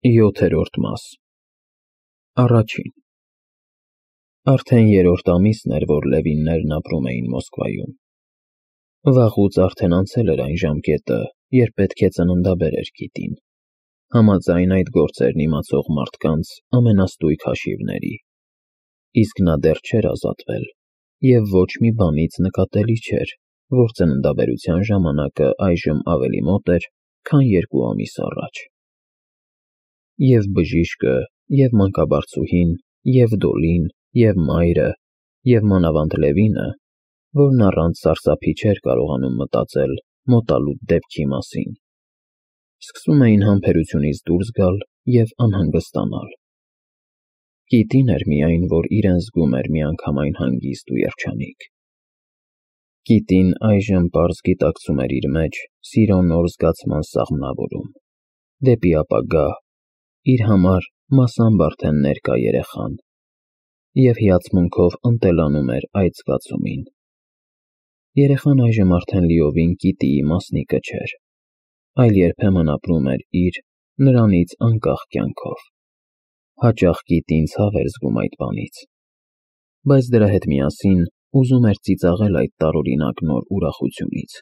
7-րդ մաս Առաջին Արդեն երրորդ ամիսն էր, որ Լևիններն ապրում էին Մոսկվայում։ Վաղուց արդեն անցել էր այն ժամկետը, երբ պետք է ծննդաբերեր Կիտին, համաձայն այդ գործերն իմացող մարդկանց ամենաստույգ հաշիվների, իսկ նա դեռ չէր ազատվել, և ոչ մի բանից նկատելի չէր, որ ծննդաբերության ժամանակը այժմ ավելի մոտ էր, քան 2 ամիս առաջ։ Եվ բժիշկը, և մանկաբարձուհին, և Դոլին, և մայրը, և մանավանդ Լևինը, որն առանց սարսափի չէր կարողանում մտածել մոտալուտ դեպքի մասին, սկսում էին համբերությունից դուրս գալ և անհանգստանալ։ Կիտին էր միայն, որ իրեն զգում էր միանգամայն հանգիստ ու երջանիկ։ Կիտին այժմ պարզ գիտակցում էր իր մեջ սիրո նոր զգացման սաղմնավորում, դեպի ապագա, իր համար մասամբ արդեն ներկա երեխան, և հիացմունքով ընտելանում էր այդ զգացումին։ Երեխան այժմ արդեն լիովին Կիտիի մասնիկը չէր, այլ երբեմն ապրում էր իր, նրանից անկախ կյանքով։ Հաճախ Կիտին ցավ էր զգում այդ բանից, բայց դրա հետ միասին ուզում էր ծիծաղել այդ տարօրինակ նոր ուրախությունից։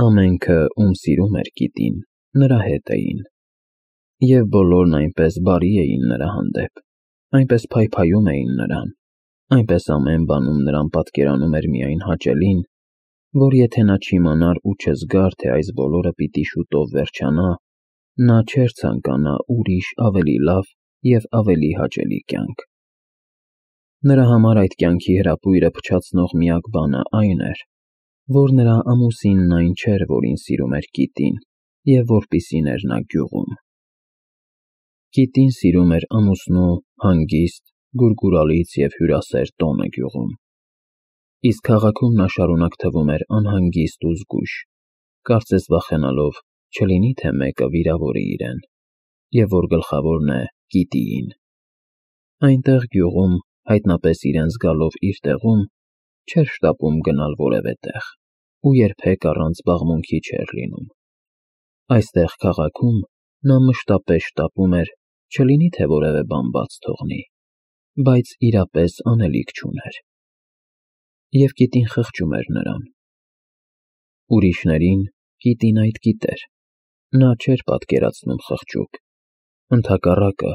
Ամենքը, ում սիրում էր Կիտին, նրա հետ էին, և բոլորն այնպես բարի էին նրա հանդեպ, այնպես փայփայում էին նրան, այնպես ամեն բանում նրան պատկերանում էր միայն հաճելին, որ եթե նա չիմանար ու չզգար, թե այս բոլորը պիտի շուտով վերջանա, նա չէր ցանկանա ուրիշ ավելի լավ և ավելի հաճելի կյանք։ Նրա համար այդ կյանքի հրապույրը փչացնող միակ բանը այն էր, որ նրա ամուսինն այն չէր, որին սիրում էր Կիտին և որպիսին էր նա գյուղում։ Կիտին սիրում էր ամուսնու հանգիստ, գուրգուրալից և հյուրասեր տոնը գյուղում, իսկ քաղաքում նա շարունակ թվում էր անհանգիստ ու զգույշ, կարծես վախենալով չլինի թե մեկը վիրավորի իրեն, և որ գլխավորն է Կիտիին։ Այնտեղ գյուղում, հայտնապես իրեն զգալով իր տեղում, չէր շտապում գնալ որևէ տեղ ու երբեք առանց զբաղմունքի չէր լինում։ Այստեղ քաղաքում նա մշտապես շտապում էր չլինի թե որևէ բան բաց թողնի, բայց իրապես անելիք չուներ։ Եվ Կիտին խղճում էր նրան։ Ուրիշներին Կիտին այդ գիտեր, նա չէր պատկերացնում խղճուկ, ընդհակառակը,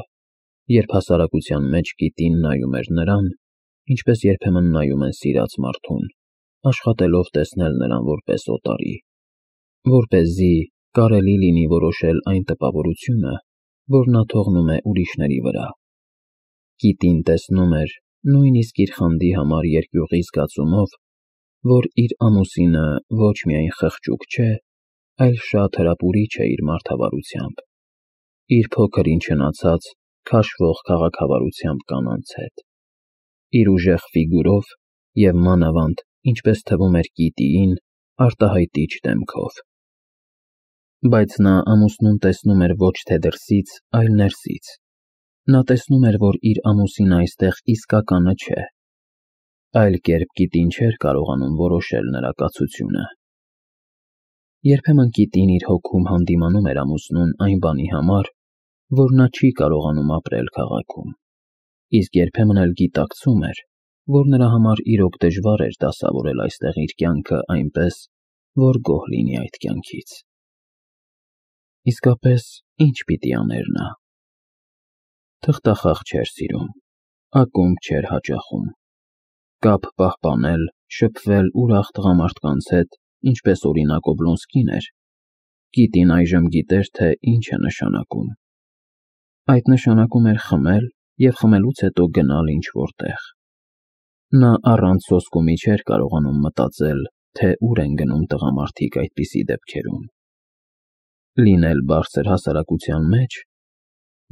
երբ հասարակության մեջ Կիտին նայում էր նրան, ինչպես երբեմն նայում են սիրած մարդուն, աշխատելով տեսնել նրան որպես օտարի, որպեսզի կարելի լինի որոշել այն տպավորությունը, որ նա թողնում է ուրիշների վրա։ Կիտին տեսնում էր, նույնիսկ իր խանդի համար երկյուղի զգացումով, որ իր ամուսինը ոչ միայն խղճուկ չէ, այլ շատ հրապուրիչ է իր մարդավարությամբ, իր փոքր-ինչ հնացած, քաշվող քաղաքավարությամբ կանանց հետ, իր ուժեղ ֆիգուրով և մանավանդ, ինչպես թվում էր Կիտիին, արտահայտիչ դեմքով։ Բայց նա ամուսնուն տեսնում էր ոչ թե դրսից, այլ ներսից։ Նա տեսնում էր, որ իր ամուսինը այստեղ իսկականը չէ, այլ կերպ Կիտին չէր կարողանում որոշել նրա կացությունը։ Երբեմն Կիտին իր հոգում հանդիմանում էր ամուսնուն այն բանի համար, որ նա չի կարողանում ապրել քաղաքում, իսկ երբեմն էլ գիտակցում էր, որ նրա համար իրոք դժվար էր դասավորել այստեղ իր կյանքը այնպես, որ գոհ լինի այդ կյանքից։ Իսկապես, ինչ պիտի աներ նա։ Թղթախաղ չէր սիրում, ակումբ չէր հաճախում, կապ պահպանել, շփվել ուրախ տղամարդկանց հետ, ինչպես օրինակ Օբլոնսկին էր, Կիտին այժմ գիտեր, թե ինչ է նշանակում։ Այդ նշանակում էր խմել և խմելուց հետո գնալ ինչ-որ տեղ։ Նա առանց սոսկումի չէր կարողանում մտածել, թե ուր են գնում տղամարդիկ այդպիսի դեպքերում։ Լինել բարձր հասարակության մեջ,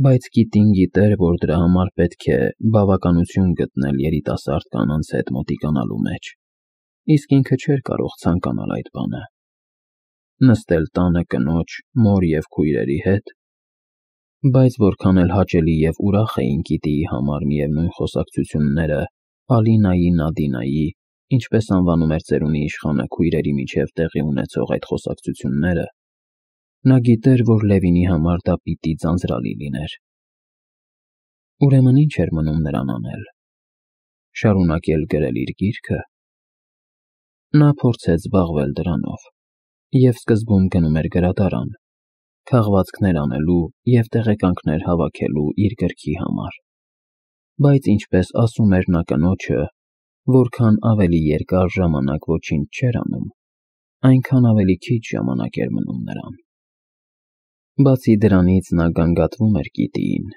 բայց Կիտին գիտեր, որ դրա համար պետք է բավականություն գտնել երիտասարդ կանանց հետ մոտիկանալու մեջ, իսկ ինքը չէր կարող ցանկանալ այդ բանը։ Նստել տանը կնոջ, մոր և քույրերի հետ, բայց որքան էլ հաճելի և ուրախ էին Կիտիի համար միևնույն խոսակցությունները Ալինայի, Նադինայի, ինչպես անվանում էր ծերունի իշխանը քույրերի միջև տեղի ունեցող այդ խոսակցությունները, Նա գիտեր, որ Լևինի համար դա պիտի ձանձրալի լիներ։ Ուրեմն ինչ էր մնում նրան անել։ Շարունակել գրել իր գիրքը։ Նա փորձեց զբաղվել դրանով և սկզբում գնում էր գրադարան, քաղվածքներ անելու և տեղեկանքներ հավաքելու իր գրքի համար, բայց ինչպես ասում էր նա կնոջը, որքան ավելի երկար ժամանակ ոչինչ չէր անում, այնքան ավելի քիչ ժամանակ էր մնում նրան։ Բացի դրանից նա գանգատվում էր գիտիին,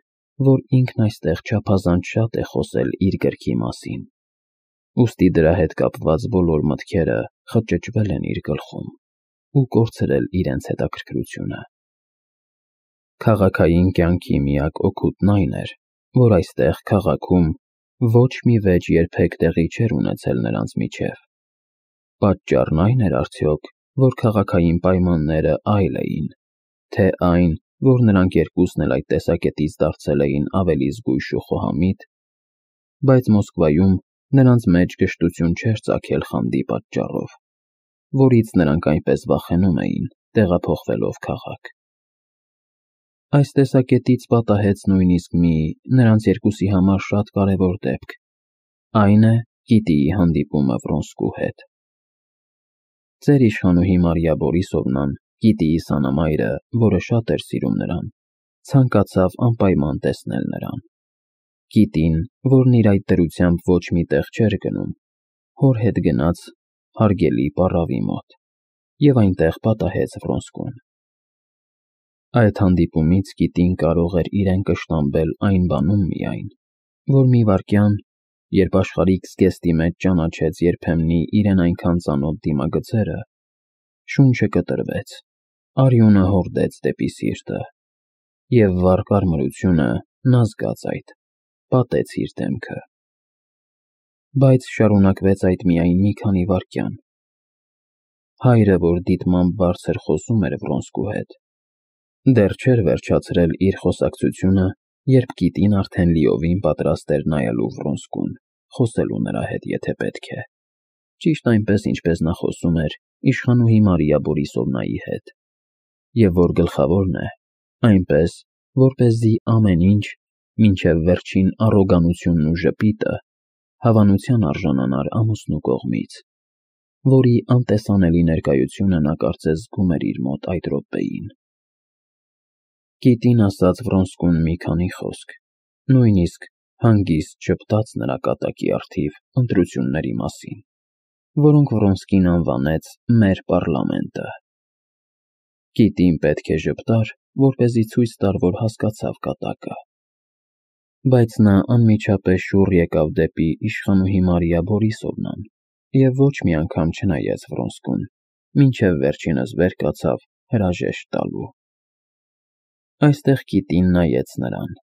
որ ինքն այստեղ չափազանց շատ է խոսել իր գրքի մասին, ուստի դրա հետ կապված բոլոր մտքերը խճճվել են իր գլխում ու կորցրել իրենց հետաքրքրությունը։ Քաղաքային կյանքի միակ օգուտն այն էր, որ այստեղ քաղաքում ոչ մի վեճ երբեք տեղի չէր ունեցել նրանց միջև։ Պատճառն այն էր արդյոք, որ քաղաքային պայմանները այլ էին, թե այն, որ նրանք երկուսն էլ այդ տեսակետից դարձել էին ավելի զգույշ ու խոհամիտ, բայց Մոսկվայում նրանց մեջ կշտություն չէր ծագել խանդի պատճառով, որից նրանք այնպես վախենում էին, տեղափոխվելով քաղաք։ Այս տեսակետից պատահեց նույնիսկ մի նրանց երկուսի համար շատ կարևոր դեպք, այն է գիտիի հանդիպումը Վրոնսկու հետ։ Ծեր իշխանուհի Մարիա Բորիսովնան, գիտիի սանամայրը, որը շատ էր սիրում նրան, ցանկացավ անպայման տեսնել նրան։ Գիտին, որն իր այդ դրությամբ ոչ մի տեղ չէր գնում, հոր հետ գնաց հարգելի պառավի մոտ և այնտեղ պատահեց Վրոնսկուն։ Այդ հանդիպումից գիտին կարող էր իրեն կշտամբել այն բանում միայն, որ մի վայրկյան, երբ աշխարհիկ զգեստի մեջ ճանաչեց երբեմնի իրեն այնքան ծանոթ դիմագծերը, շունչը կտրվեց, արյունը հորդեց դեպի սիրտը, և վառ կարմրությունը, նա զգաց այդ, պատեց իր դեմքը։ Բայց շարունակվեց այդ միայն մի քանի վայրկյան։ Հայրը, որ դիտմամբ բարձր խոսում էր Վրոնսկու հետ, դեռ չէր վերջացրել իր խոսակցությունը, երբ գիտին արդեն լիովին պատրաստ էր նայելու Վրոնսկուն, խոսելու նրա հետ, եթե պետք է, ճիշտ այնպես, ինչպես նա խոսում էր իշխանուհի Մարիա Բորիսովնայի հետ, և որ գլխավորն է, այնպես, որպեսզի ամեն ինչ, մինչև վերջին առոգանությունն ու ժպիտը, հավանության արժանանար ամուսնու կողմից, որի անտեսանելի ներկայությունը նա կարծես զգում էր իր մոտ այդ րոպեին։ Գիտին ասաց Վրոնսկուն մի քանի խոսք, նույնիսկ հանգիստ ժպտաց նրա կատակի առթիվ ընտրությունների մասին, որոնք Վրոնսկին անվանեց «մեր պառլամենտը»։ Գիտին պետք է ժպտար, որպեսզի ցույց տար, որ հասկացավ կատակը։ Բայց նա անմիջապես շուռ եկավ դեպի իշխանուհի Մարիա Բորիսովնան և ոչ մի անգամ չնայեց Վրոնսկուն, մինչև վերջինս վեր կացավ հրաժեշտ տալու։ Այստեղ գիտին նայեց նրան,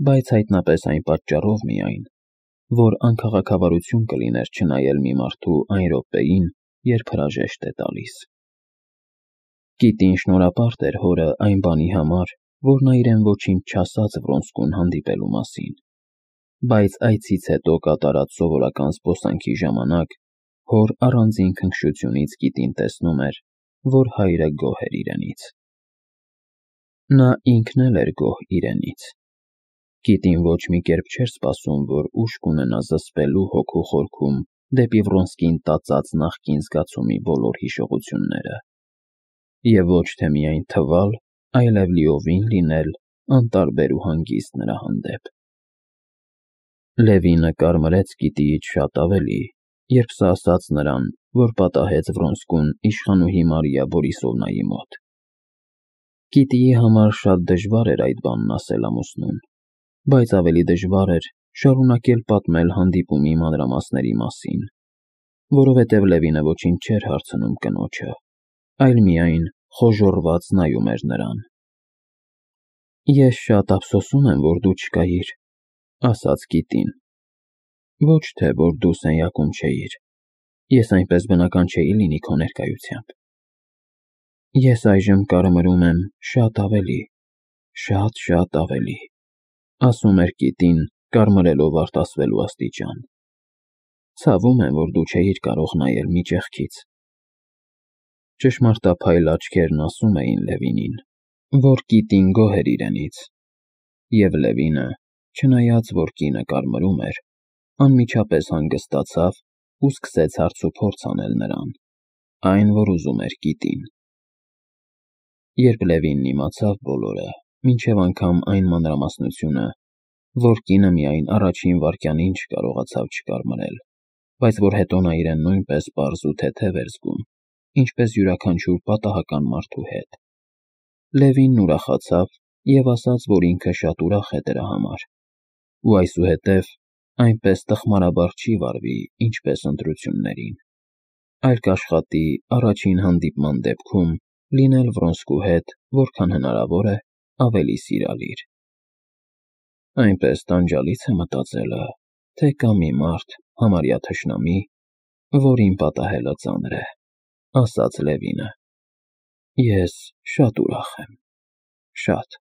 բայց հայտնապես այն պատճառով միայն, որ անքաղաքավարություն կլիներ չնայել մի մարդու այն րոպեին, երբ հրաժեշտ է տալիս։ Գիտին շնորհապարտ էր հորը այն բանի համար, որ նա իրեն ոչինչ չասաց Վրոնսկուն հանդիպելու մասին, բայց այցից հետո կատարած սովորական զբոսանքի ժամանակ հոր առանձին քնքշությունից գիտին տեսնում էր, որ հայրը գոհ էր իրենից։ Նա ինքն էլ էր գոհ իրենից։ Գիտին ոչ մի կերպ չէր սպասում, որ ուժ կունենա զսպելու հոգու խորքում դեպի Վրոնսկին տածած նախկին զգացումի բոլոր հիշողությունները, և ոչ թե միայն թվալ, այլև լիովին լինել անտարբեր ու հանգիստ նրա հանդեպ։ Լևինը կարմրեց գիտիից շատ ավելի, երբ սա ասաց նրան, որ պատահեց Վրոնսկուն իշխանուհի Մարիա Բորիսովնայի մոտ։ Գիտիի համար շատ դժվար էր այդ բանն ասել ամուսնուն, բայց ավելի դժվար էր շարունակել պատմել հանդիպումի մանրամասների մասին, որովհետև Լևինը ոչինչ չէր հարցնում կնոջը, այլ միայն խոժոռված նայում էր նրան։ Ես շատ ափսոսում եմ, որ դու չկայիր, ասաց գիտին։ Ոչ թե, որ դու սենյակում չէիր, ես այնպես բնական չէի լինի քո ներկայությամբ։ Ես այժմ կարմրում եմ շատ ավելի, շատ ավելի, ասում էր գիտին, կարմրելով արտասվելու աստիճան։ Ցավում եմ, որ դու չէիր կարող նայել մի ճեղքից։ Ճշմարտափայլ աչքերն ասում էին Լևինին, որ կիտին գոհ էր իրենից, և Լևինը, չնայած որ կինը կարմրում էր, անմիջապես հանգստացավ ու սկսեց հարցուփորձ անել նրան, այն, որ ուզում էր կիտին։ Երբ Լևինն իմացավ բոլորը, մինչև անգամ այն մանրամասնությունը, որ կինը միայն առաջին վայրկյանին չկարողացավ չկարմրել, բայց որ հետո նա իրեն նույնպես պարզ ու թեթև էր զգում, ինչպես յուրաքանչյուր պատահական մարդու հետ, Լևինն ուրախացավ և ասաց, որ ինքը շատ ուրախ է դրա համար, ու այսուհետև այնպես տխմարաբար չի վարվի, ինչպես ընտրություններին, այլ կաշխատի առաջին հանդիպման դեպքում լինել Վրոնսկու հետ որքան հնարավոր է ավելի սիրալիր։ Այնպես տանջալից է մտածելը, թե կա մի մարդ, համարյա թշնամի, որին պատահելը ծանր է, ասաց Լևինը։ Ես շատ ուրախ եմ, շատ։